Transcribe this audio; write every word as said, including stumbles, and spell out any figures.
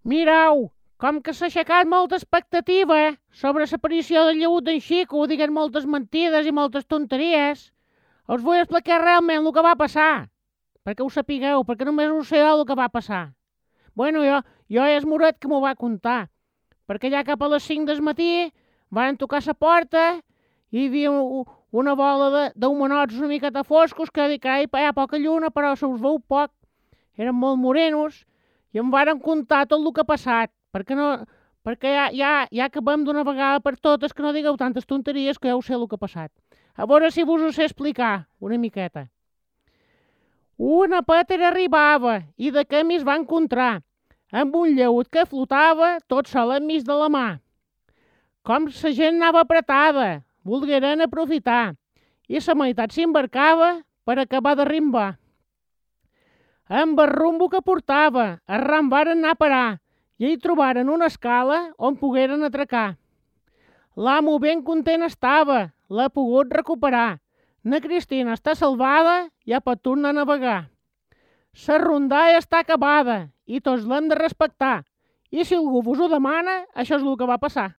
Mirau, com que s'ha aixecat molta expectativa sobre l'aparició del lleut d'en Xico, diguent moltes mentides i moltes tonteries, us vull explicar realment el que va passar, perquè ho sapigueu, perquè només ho sé el que va passar. Bueno, jo, jo és Moret que m'ho va contar, perquè ja cap a les cinc del matí van tocar la porta i hi havia una bola d'humanots una miqueta foscos que dic, carai, hi ha poca lluna, però se us veu poc. Eren molt morenos i em varen contar tot el que ha passat, perquè, no, perquè ja, ja, ja acabem d'una vegada per totes que no digueu tantes tonteries que ja ho sé el que ha passat. A veure si vos ho sé explicar una miqueta. Una pètera arribava i de camí es va encontrar amb un lleut que flotava tot sol enmig de la mà. Com la gent anava apretada, volgueren aprofitar, i la meitat s'embarcava per acabar de rimbar. Amb el rumbo que portava, arran varen anar a parar i hi trobaren una escala on pogueren atracar. L'amo ben content estava, l'ha pogut recuperar. Na Cristina està salvada, ja pot tornar a navegar. La rondalla està acabada i tots l'hem de respectar. I si algú vos ho demana, això és el que va passar.